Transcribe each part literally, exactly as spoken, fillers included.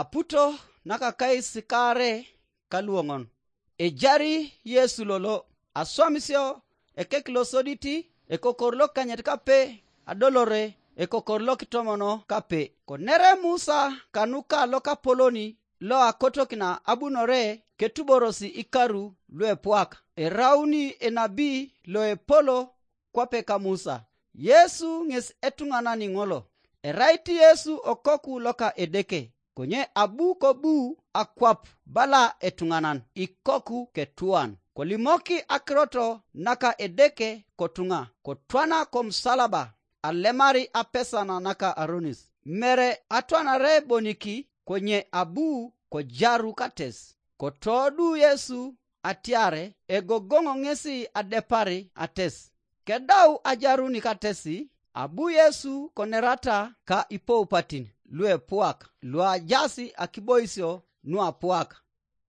Aputo nakakais kaare kaluoŋon. Ejari Yesu lolo, aswamisio ekek losodit, ekokor lokanyet kape, adolore ekokor lokitomono kape. Konere Musa kanuka lokapoloni loakotokina abunore ketuborosi ikaru luepuak, erauni enabi loepolo kwape ka Musa. Yesu ŋes etuŋanani ŋolo. Erait Yesu okoku loka Edeke, konye abu kobu akwap bala etuŋanan ikoku ketuan. Kolimoki akiroto naka Edeke kotuŋa, kotwana komusalaba, alemari apesana naka aronis. Mere atwanare boniki, konye abu kojaru kates. Kotoodu Yesu atiare egogoŋo ŋesi adepari ates. Kedau ajaruni katesi, abu Yesu konerata ka ipoupatin luepuak luajaas akiboisio nuapuak.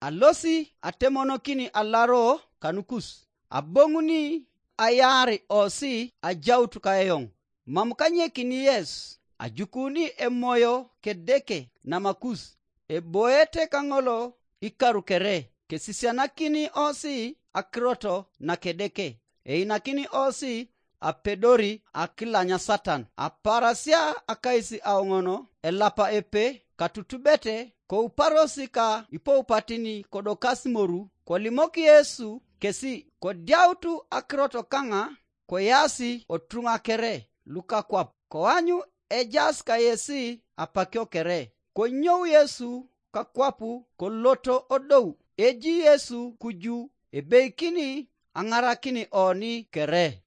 Alosi atemonokini alaro kanukus, aboŋuni ayaar osi ajaut kaeoŋ. Mam kanyekini yes, ajukuni emoyo kedeke namakus, eboete kaŋolo ikaru kere, kesisianakini osi akiroto nakedeke, einakini osi apedori akilanya Satan. Aparasia akais aoŋono elapa epe katutubete, kouparosi ka ipoupatini kodokas moru, kolimok Yesu kesi, kodiautu akiroto kaŋa, koyasi otuŋa kere lukakwap, koanyu ejaas kayesi apakio kere. Konyou Yesu kakwapu koloto odou, eji Yesu kuju, ebeikini aŋarakin oni kere.